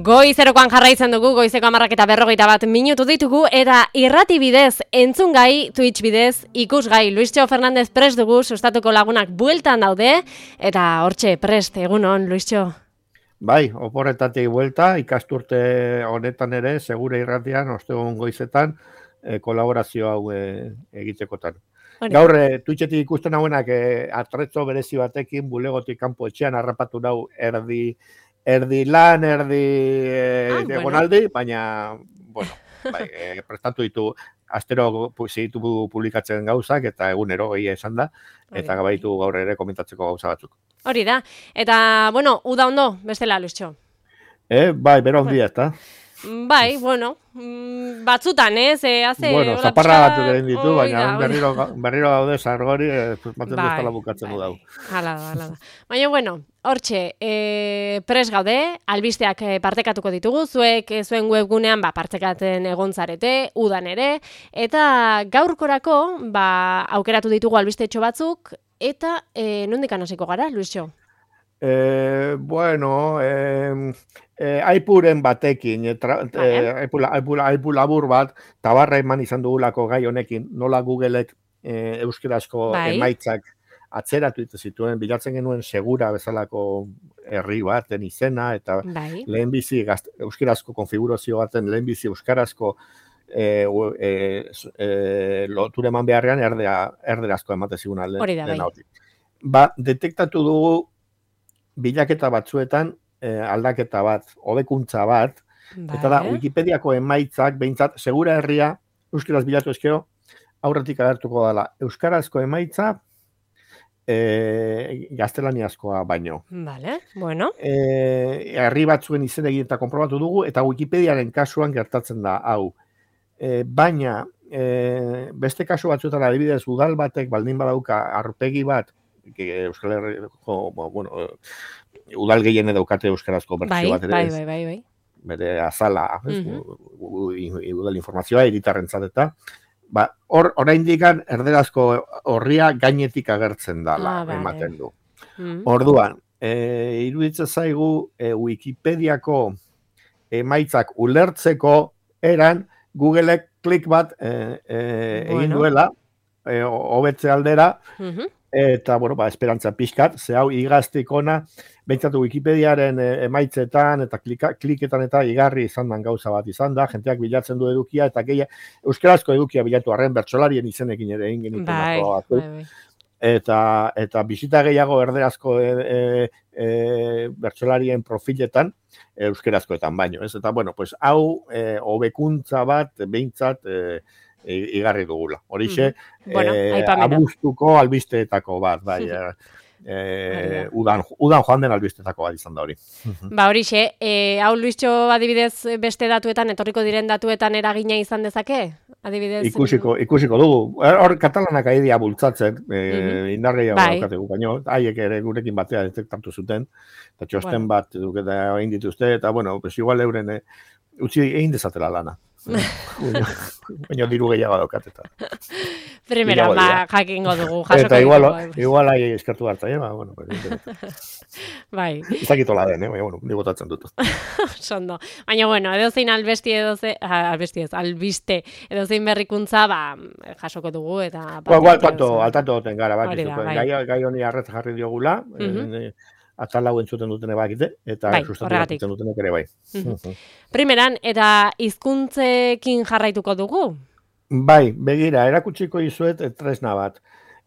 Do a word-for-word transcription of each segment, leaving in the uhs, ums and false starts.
Goizerokoan jarraitzen dugu, goizeko hamarrak eta berrogeita bat minutu ditugu, eta irrati bidez, entzungai, Twitch bidez, ikusgai, Luistxo Fernandez prest dugu, sustatuko lagunak bueltan daude, eta hortxe, prest, egunon, Luistxo. Bai, oporretatik buelta, ikasturte honetan ere, segure irratian, ostegun goizetan, eh, kolaborazio hau eh, egitekotan. Hori. Gaur, eh, Twitchetik ikusten hauenak eh, atretzo berezi batekin, bulegotik kanpo etxean harrapatu dau erdi, erdi lan, erdi eh, ah, egonaldi, bueno. Baina, bueno, bai, eh, prestatu ditu, astero zitu publikatzen gauzak, eta egunero gehi esan da, eta gabaitu gaur ere komentatzeko gauza batzuk. Hori da, eta, bueno, uda ondo, bestela, Luistxo. Eh, bai, bero ondia, eta. Bai, bueno, batzutan, ez? Eh, hace bueno, zaparra batzuk egin ditu, oh, baina oida, berriro, berriro gaude sargori, eh, maten bai, duztala bukatzen bai, du dau. Hala da, hala da. Baina, bueno, hortxe, eh, pres gaude, albisteak partekatuko ditugu, zuek zuen webgunean ba, partekaten egon zarete, udan ere, eta gaurkorako ba, aukeratu ditugu albistetxo batzuk, eta eh, nondik hasiko gara, Luistxo? Eh, bueno, eh, eh, aipuren batekin, eh, eh, aipul, aipul, aipul labur bat, tabarra eman izan dugulako gai honekin, nola Googleek eh, euskerazko bai. Emaitzak atzeratu zituen, bilatzen genuen segura bezalako herri baten izena, eta bai. Lehenbizi euskerazko konfigurazio baten, lehenbizi euskarazko eh, eh, eh, loture eman beharrean erdea, erderazko emate zigun alde. Hori da, bai. Ba, detektatu dugu bilaketa batzuetan eh, aldaketa bat, hobekuntza bat, bai. Eta da, Wikipediako emaitzak, behintzat, segura herria, euskaraz bilatu ezkero, aurretik agertuko dela, euskarazko emaitza, eh, gaztelaniazkoa baino. Vale, bueno. Eh, herri batzuen izen egin eta konprobatu dugu, eta Wikipediaren kasuan gertatzen da, hau. Eh, baina, eh, beste kasu batzuetan adibidez, udal batek, baldin badauka, arpegi bat, Euskal Herriko, bueno, udal gehiene daukate euskarazko bertsio bat ere. Bai, bai, bai, bai. Bere azala, udal informazioa, hiritarrentzat eta, ba, hor, oraindik erderazko horria gainetik agertzen dala, ah, ematen du. Mm. Orduan, e, iruditzen zaigu e, Wikipediako emaitzak ulertzeko eran Googleek klik bat e, e, bueno. egin duela, e, hobetze aldera, uh-huh. Eta, bueno, ba, esperantza pixkat, ze hau igaztik ona, behintzatu Wikipediaren emaitzetan eta klika, kliketan eta igarri izan den gauza bat izan da, jenteak bilatzen du edukia, eta gehi, euskarazko edukia bilatu arren bertsolarien izenekin ere egin genituen. Bai, bai, bai. Eta, eta bisita gehiago erderazko e, e, e, bertsolarien profiletan, euskarazkoetan baino, ez? Eta, bueno, pues, hau, e, hobekuntza bat, behintzat, e, igarri dugula. Horixe, mm. bueno, eh, abuztuko albisteetako bat, bai, eh, udan, udan joan den albisteetako bat izan da hori. Ba, horixe, eh, hau Luistxo adibidez beste datuetan, etorriko diren datuetan eragina izan dezake? Adibidez... Ikusiko, ikusiko dugu. Hor, katalanak aidea bultzatzen, eh, mm-hmm. indargeia bai. Daukategu, baino, haiek ere gurekin batea detektatu zuten, eta txosten bueno. bat duketa egin dituzte, eta, bueno, pues igual euren, eh, utzi egin dezatela lana. Baina diru gehiago daukateta. Primera, ba, jakingo dugu. Eta igual, igual ahi eskertu hartza, eh? Ba, bueno, bai. Izakitola den, eh? Baina, bueno, ni botatzen dut. Sondo. Baina, bueno, edozein albesti edoze, albesti ez, albiste edozein berrikuntza, ba, jasoko dugu, eta... Ba, igual, tanto, altanto goten gara, bat, gai, gai honi arretz jarri diogula, uh-huh. Atal hau entzuten dutene bakite, eta bai, sustatu entzuten dutenek ere bai. Mm-hmm. Primeran, eta hizkuntzekin jarraituko dugu? Bai, begira, erakutsiko izuet tresna bat.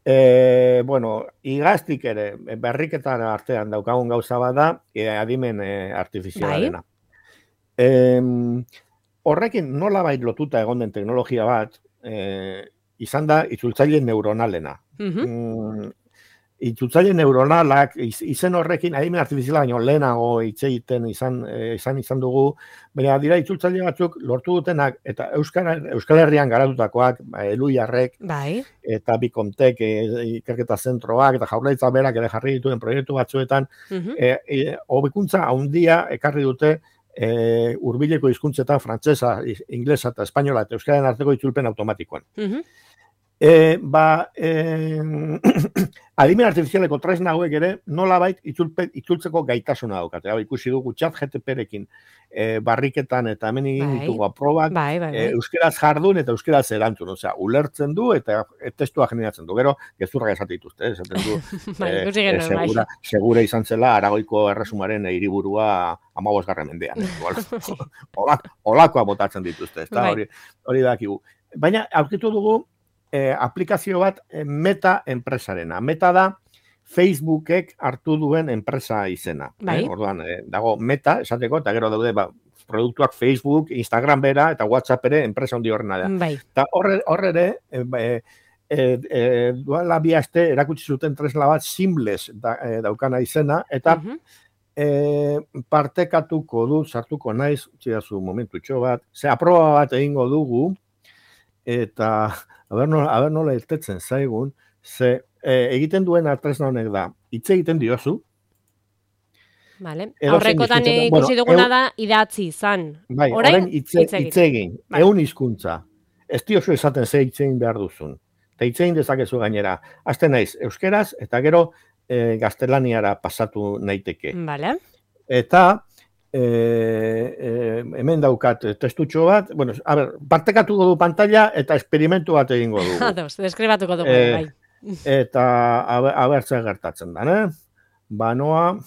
E, bueno, igaztik ere, berriketan artean daukagun gauza bat da, e, adimen e, artifizialarena. Bai. E, horrekin nola bait lotuta egon den teknologia bat, e, izan da itzultzaile neuronalena. Mm-hmm. Mm, Itzultzaile neuronalak, izen horrekin, adimen artifiziala baino lehenago itxeiten izan, izan izan dugu, baina dira itzultzaile batzuk lortu dutenak, eta Euskal, Euskal Herrian garatutakoak, Eluiarrek, bai. Eta Bikontek, ikerketa zentroak, eta Jaurlaritza berak ere jarri dituen proiektu batzuetan, uh-huh. e, e, hobekuntza handia ekarri dute e, hurbileko hizkuntzetan frantsesa, inglesa eta espainola eta euskararen arteko itzulpen automatikoan. Uh-huh. E, ba, e, adimen artifizialeko tresna hauek ere nolabait itzulpe, itzultzeko gaitasuna daukate. Hau, ikusi dugu chat G T P-rekin e, barriketan eta hemen egin Bai. ditugu aprobak, Bai, bai, bai. e, euskeraz jardun eta euskeraz erantzun. Osea, ulertzen du eta testua generatzen du. Gero, gezurra esate dituzte, eh? Esaten du, Bai, e, ikusi e, genuen, bai. segura, segura izan zela Aragoiko erresumaren hiriburua hamabosgarren mendean. Olak, olakoa botatzen dituzte, ezta? Bai. Hori, hori dakigu. Baina, aurkitu dugu, Eh, aplikazio bat eh, Meta enpresarena. Meta da Facebookek hartu duen enpresa izena. Bai. Eh? Orduan, eh, dago Meta, esateko, eta gero daude ba, produktuak Facebook, Instagram bera, eta WhatsApp ere enpresa handi horrena da. Bai. Eta horre, horre ere, eh, eh, eh, eh, duela bi aste erakutsi zuten tresna bat Seamless da, eh, daukana izena, eta Mhm. eh, partekatuko du, sartuko naiz, txidazu momentutxo bat, ze aproba bat egingo dugu, eta aber nola, aber nola irtetzen zaigun, ze e, egiten duen tresna honek da, hitz egiten diozu. Vale. Edo Aurrekotan zein hizkuntza- ikusi bueno, duguna eu- da idatzi izan. Bai, Orain, orain hitze, hitz egin. hitz egin, Bai. ehun hizkuntza. Ez diozu esaten ze hitz egin behar duzun. Eta hitz egin dezakezu gainera. Hasten naiz, euskeraz, eta gero e, gaztelaniara pasatu naiteke. Vale. Eta e, e, hemen daukat testutxo bat, bueno, a ber, partekatuko du pantalla eta esperimentu bat egingo dugu. Ados, deskribatuko dugu, Eh, bai. Eta abertzen gertatzen da, eh? Banoa,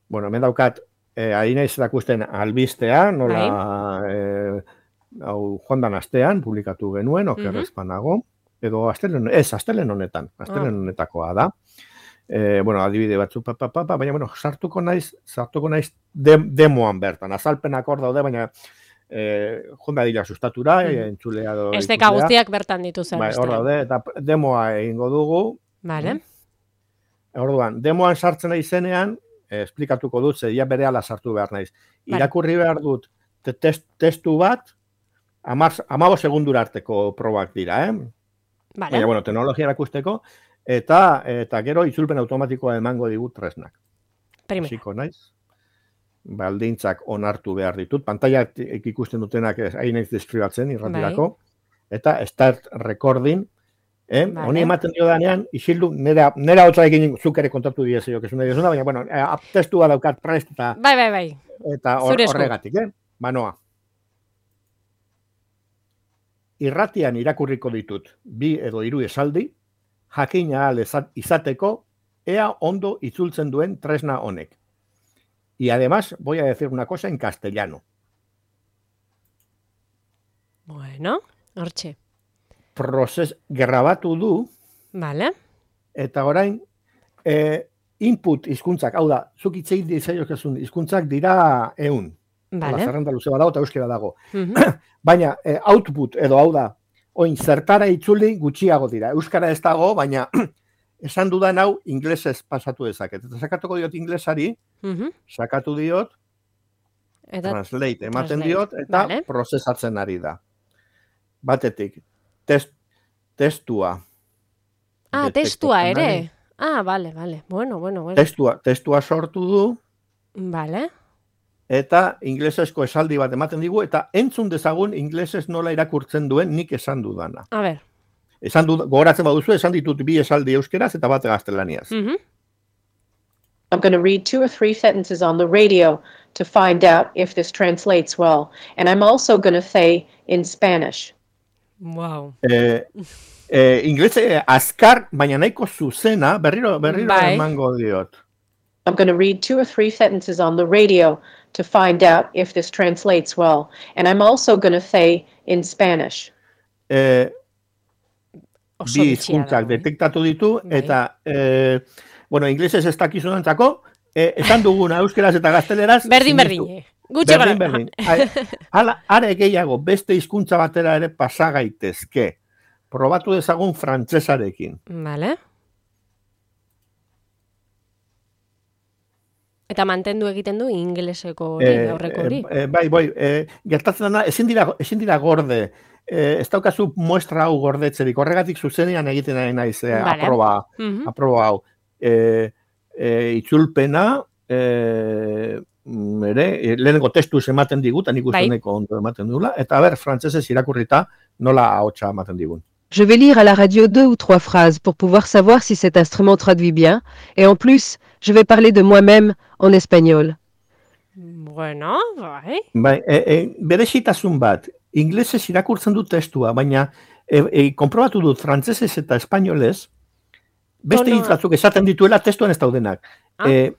bueno, hemen daukat, eh, ari naiz erakusten albistea, nola, eh, hau joan dan astean, publikatu genuen, okerrez panago, edo astelen, ez, astelen honetan, astelen honetakoa da. Eh, bueno, adibide batzu, pa, pa, pa, pa, baina, bueno, sartuko naiz, sartuko naiz de, demoan bertan, azalpenak hor daude, baina eh, jonda dira sustatura, Mhm. eh, entzulea do Esteka guztiak bertan dituzen. bai, hor daude, eta demoa egingo dugu. Vale. Orduan, demoan sartzen nahi zenean, eh, esplikatuko dut, zedia berehala sartu behar naiz. Vale. Irakurri behar dut te- test, testu bat, amabo segundura arteko probak dira, eh? Vale. Baina, bueno, teknologia erakusteko, eta eta gero itzulpen automatikoa emango digut tresnak. Primera. Hasiko naiz. Baldintzak onartu behar ditut. Pantalla ikusten dutenak hain naiz deskribatzen irratirako. Eta start recording. Eh? Vale. Honi ematen dio danean, isildu, nera, nera hotza egin zuk ere kontatu diezio, que zuna diezuna, baina, bueno, eh, testua daukat prest eta, Bai, bai, bai. eta hor- Zure esku. horregatik, eh? Banoa. Irratian irakurriko ditut bi edo hiru esaldi, jakina ahal eza- izateko, ea ondo itzultzen duen tresna honek. Y además voy a decir una cosa en castellano. Bueno, hortxe. Prozes grabatu du, Vale. eta orain eh, input hizkuntzak, hau da, zuk hitz egin dizaiokezun hizkuntzak dira ehun. Hala, Vale. zerrenda luze badago eta euskera dago. Mhm. Baina eh, output edo hau da, oin zertara itzuli gutxiago dira. Euskara ez dago, baina esan dudan hau inglesez pasatu dezaket. Eta sakatuko diot inglesari, Mhm. sakatu diot, Eta translate ematen translate, diot, eta vale. prozesatzen ari da. Batetik, test, testua. Ah, Detektatzen testua ari. ere. Ah, vale, vale. Bueno, bueno, bueno. Testua, testua sortu du, Vale. eta inglesezko esaldi bat ematen digu, eta entzun dezagun inglesez nola irakurtzen duen nik esan dudana. A ver. Esan dut, gogoratzen baduzu, esan ditut bi esaldi euskeraz eta bat gaztelaniaz. Mhm. I'm going to read two or three sentences on the radio to find out if this translates well. And I'm also going to say in Spanish. Wow. Eh, eh, inglese azkar, baina nahiko zuzena, berriro, berriro Bai. emango diot. I'm going to read two or three sentences on the radio to find out if this translates well. And I'm also going to say in Spanish. Eh, Oso bi bitxia hizkuntzak dago, eh? detektatu ditu, Bai. eta, eh, bueno, inglesez ez dakizunantzako, eh, esan duguna euskeraz eta gazteleraz. Berdin, sinistu. berdin. Gutxi Berdin, gara. berdin. Hala, are gehiago, beste hizkuntza batera ere pasa gaitezke. Probatu dezagun frantsesarekin. Vale. Eta mantendu egiten du ingleseko hori, Eh, aurreko hori. eh, eh, bai, bai, eh, gertatzen dena, ezin dira, ezin dira gorde. Eh, ez daukazu muestra hau gordetzerik. Horregatik zuzenean egiten ari naiz eh, Vale. aproba, Mhm. aproba hau. Eh, eh, itzulpena, eh, ere, lehenengo testuz ematen digut, nik uste neko ondo ematen dugula, eta ber, frantsesez irakurrita nola ahotsa ematen digun. Je vais lire à la radio deux ou trois phrases pour pouvoir savoir si cet instrument traduit bien, et en plus, je vais parler de moi-même en espagnol. Bueno, bai. Bai, e, e, berezitasun bat, inglesez irakurtzen dut testua, baina e, e, konprobatu dut frantsesez eta espainolez, beste hitz batzuk esaten dituela testuan ez daudenak. Ah. E,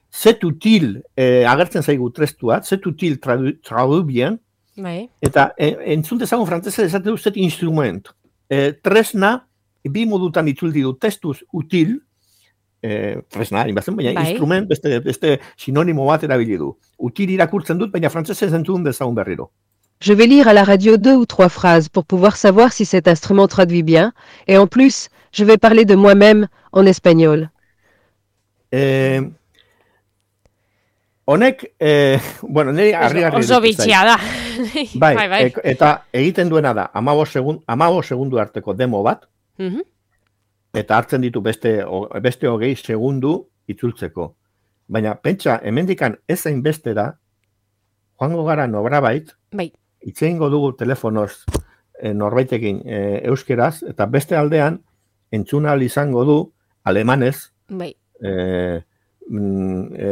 c'est utile, e, agertzen zaigu testua, c'est utile traduit tradu bien, bai. Eta e, entzun dezagun frantsesez esaten dut c'est instrument. E, tresna, bi modutan itzuldi du testuz util, e, tresna, inbazen, baina bai. Instrument beste, beste sinonimo bat erabili du. Util irakurtzen dut, baina frantsesez entzun dezagun berriro. Je vais lire à la radio deux ou trois phrases pour pouvoir savoir si cet instrument traduit bien, et en plus, je vais parler de moi-même en espagnol. Eh, honek, eh, bueno, niri harri-harri oso bitxia da. Bai, bai, bai. E, eta egiten duena da, hamabost segun, hamabost segundu arteko demo bat, uh-huh. eta hartzen ditu beste, o, beste hogei segundu itzultzeko. Baina, pentsa, hemendikan ez zain bestera, joango gara nobrabait, bai. Itzeingo dugu telefonoz e, norbaitekin e, euskeraz, eta beste aldean, entzuna izango du alemanez, bai. E, e,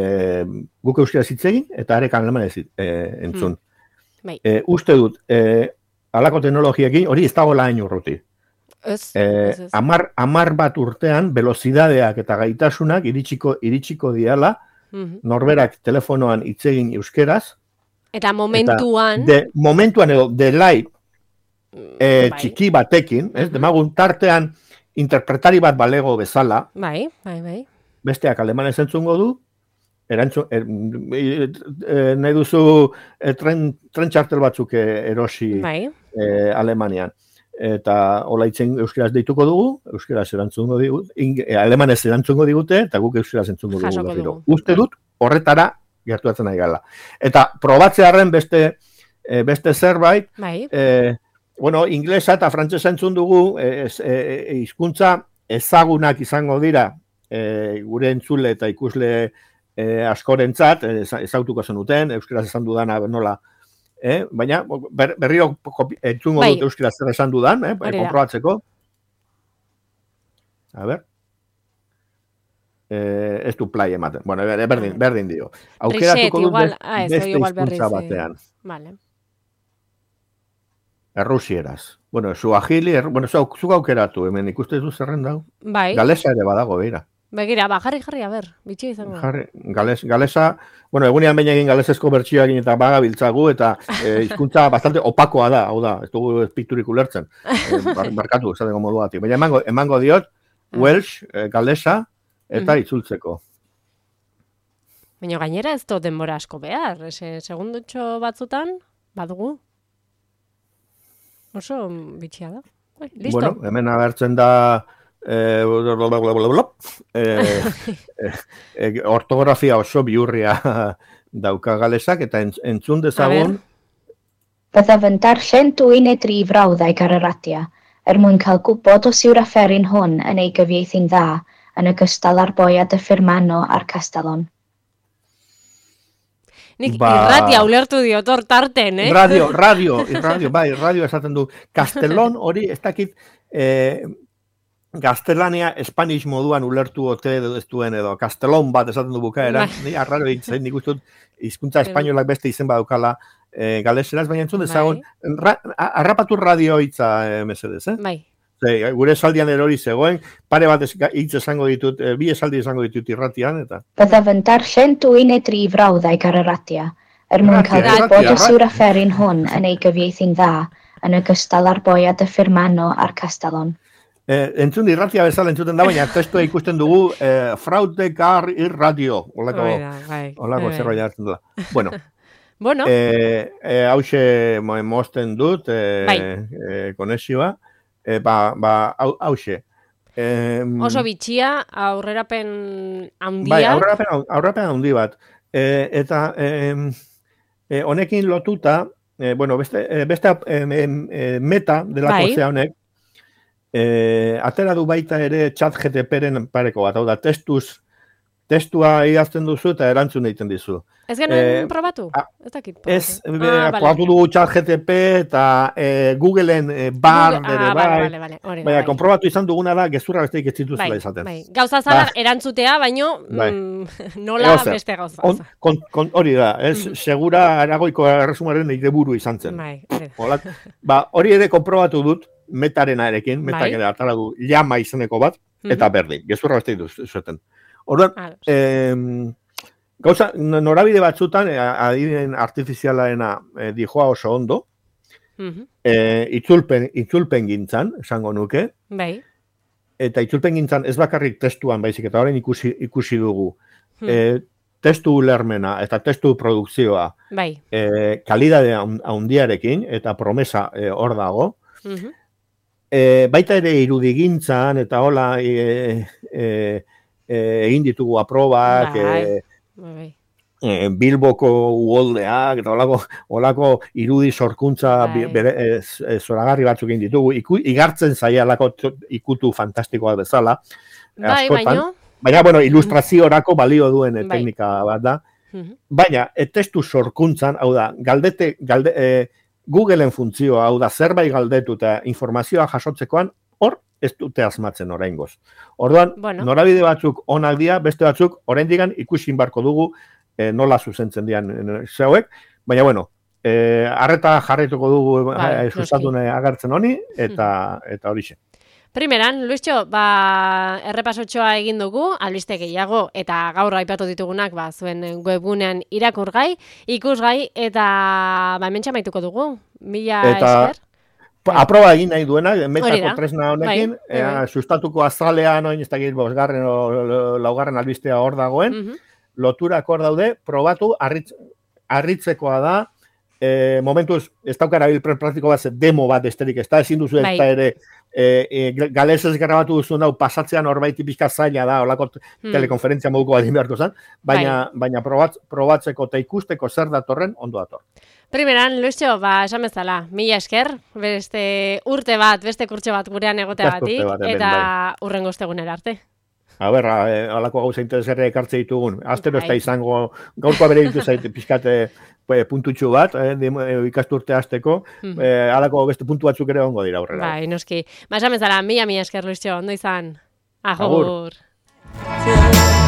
guk euskeraz itzegin, eta arek alemanez e, entzun. Hmm. Bai. E, uste dut, e, alako teknologiekin, hori ez dago lain urruti. Ez, e, ez, ez. Amar, amar bat urtean, velozidadeak eta gaitasunak iritsiko, iritsiko diala, uh-huh. norberak telefonoan itzegin euskeraz, eta momentuan... Eta de, momentuan edo, delay e, bai. Txiki batekin, ez, uh-huh. demagun tartean interpretari bat balego bezala, bai, bai, bai. Besteak alemanez entzungo du, erantzun, er, e, e, nahi duzu e, tren, tren txartel batzuk erosi bai. e, Alemanian. Eta hola itzen euskeraz deituko dugu, euskeraz erantzungo digut, e, alemanez erantzungo digute, eta guk euskeraz entzungo dugu berriro. Uste dut, horretara gertuatzen nahi gala. Eta probatzearen beste, e, beste zerbait, bai. e, bueno, inglesa eta frantsesa entzun dugu, e, e, e, hizkuntza ezagunak izango dira, e, gure entzule eta ikusle e, askorentzat, e, ezautuko zenuten, euskaraz esan dudana nola, e, baina ber, berriro entzungo bai. Dut euskaraz zer esan dudan, e, konprobatzeko. A ber. Eh, ez du play ematen. Bueno, berdin, berdin dio. Aukeratuko dut best, ah, beste hizkuntza batean. Vale. Errusieraz. Bueno, suahili, er, bueno, zuk zu aukeratu, hemen ikuste du zerren dau. Bai. Galesa ere badago, beira. Begira, ba, jarri, jarri, a ber, bitxi izango. Jarri, gales, galesa, bueno, egunean baina egin galesezko bertsioa egin eta baga biltzagu, eta eh, hizkuntza bastante opakoa da, hau da, ez dugu espikturik ulertzen. Eh, bar, barkatu, esateko moduatik. Baina emango, emango diot, Welsh, eh, galesa, eta itzultzeko. Baina gainera ez do denbora asko behar, ese segundutxo batzutan, badugu. Oso bitxia da. Bai, listo. Bueno, hemen agertzen da eh, eh, eh, ortografia oso biurria dauka galesak, eta entzun dezagun. Byddaf yn darllen dwy neu dri frawddeg ar y radio, er mwyn cael gwybod os yw'r afferyn hwn yn ei gyfieithu'n dda, yn ogystal â'r boiad y Firmano a'r Castellon. Nik ba... irratia ulertu diot hor tarten, eh? Radio, radio, radio, bai, radio esaten du. Castellon hori, ez dakit, eh, gaztelania Spanish moduan ulertu ote edo ez duen edo, Castellon bat esaten du bukaeran, ni arraro egiten, nik uste dut, hizkuntza espainolak beste izen badukala eh, galeseraz, baina entzun dezagun, ra, arrapatu radio hitza eh, mesedez, eh? Bai. Gure esaldian erori zegoen, pare bat hitz esango ditut, bi esaldi esango ditut irratian, eta... Byddaf yn darllen dwy neu dri frawddeg ar y radio, er mwyn cael gwybod os yw'r afferyn hwn yn ei gyfieithu'n dda, yn ogystal â'r boiad y Firmano a'r Castellon. Eh, entzun irratia bezala entzuten da, baina testua ikusten dugu eh, fraude gar irradio, olako, olako zerbait hartzen dela. Bueno, bueno. Eh, eh, hause mosten dut, eh, bai. eh, konexioa. E, ba, ba, hause. E, Oso bitxia, aurrerapen handia. Bai, aurrerapen, aurrerapen handi bat. E, eta e, e, honekin lotuta, e, bueno, beste, beste e, e, meta delako bai. Zea honek, e, atera du baita ere chat G T P-ren pareko bat, hau da, testuz testua idazten duzu eta erantzun egiten dizu. Ez genuen Eh, probatu? a- Ez dakit. Ez, probatu. ah, vale. probatu dugu ChatGPT eta eh, Googleen eh, bar Google- ere ah, bai, vale, vale, vale, hori da, baina bai. konprobatu izan duguna da gezurra besteik ez dituzela Bai, izaten. bai. Gauza zara Ba. erantzutea, baino Bai. mm, nola Edozer. beste gauza. On, kon, kon, hori da, ez, Mhm. segura aragoiko erresumaren ideburu izan zen. Bai, hori da. Hola, ba, hori ere konprobatu dut metarenarekin, metak Bai. ere atara du llama izeneko bat, eta berdin, gezurra beste dituzten. Orduan, Ados. em, gauza, norabide batzutan, eh, adibideen artifizialaena eh, dijoa oso ondo, Mhm. eh, itzulpen, itzulpen gintzan, esango nuke, Bai. eta itzulpen gintzan ez bakarrik testuan baizik, eta orain ikusi, ikusi dugu, Hmm. eh, testu ulermena eta testu produkzioa Bai. eh, kalidade haun- haundiarekin, eta promesa eh, hor dago, Mhm. E, baita ere irudigintzan eta hola e, e, e, egin ditugu aprobak, Bai. e, Bai, bai. e, Bilboko uholdeak eta holako, holako irudi sorkuntza Bai. bi- bere, e, z- e, zoragarri batzuk egin ditugu, Iku, igartzen zaialako t- ikutu fantastikoa bezala, Bai, askotan. baino. Baina, bueno, ilustraziorako balio duen e, Bai. teknika bat da. Mhm. Baina, e, testu sorkuntzan, hau da, galdete, galde, e, Googleen funtzioa, hau da, zerbait galdetu eta informazioa jasotzekoan, hor ez dute asmatzen oraingoz. Orduan, Bueno. norabide batzuk onak dira, beste batzuk oraindikan ikusin barko dugu e, nola zuzentzen dian e, zeuek, baina bueno, e, arreta jarraituko dugu Bai, e, sustatu noski. agertzen honi, eta, eta horixe. Primeran, Luistxo, ba, errepasotxoa egin dugu, albiste gehiago, eta gaur aipatu ditugunak, ba, zuen webgunean irakurgai, ikusgai, eta ba, hemen txamaituko dugu. Mila Eta- esker. Pa- Aproba egin nahi duenak, Hori metako da. tresna honekin, Bai, bai, bai. ea, sustatuko azalean, oin ez dakit, bosgarren o laugarren albistea hor dagoen, Mhm. loturak hor daude, probatu, arritz, arritzekoa da, e, momentuz, ez daukara bilpren praktiko bat, ze demo bat esterik, ez da, ezin duzu ez Bai. da ere, e, e, galesez grabatu duzu hau pasatzean horbaiti pixka zaila da, olako Hmm. telekonferentzia moduko bat egin beharko zen, baina, baina probatz, probatzeko eta ikusteko zer datorren, ondo dator. Primeran, Luistxo, ba, esan bezala, mila esker, beste urte bat, beste kurtso bat gurean Beste egoteagatik, urte bat hemen, eta urrengo ostegunera arte. A ber, e, alako gauza interesgarria ekartze ditugun. Astero ez da Bai. izango, gaurkoa bere ditu zaite pixkate e, puntutxu bat, e, dim- e, ikasturte hasteko, Mhm. e, alako beste puntu batzuk ere ongo dira aurrera. Bai, noski. Ba, esan bezala, mila, mila esker, Luistxo, ondo izan. Agur. Agur.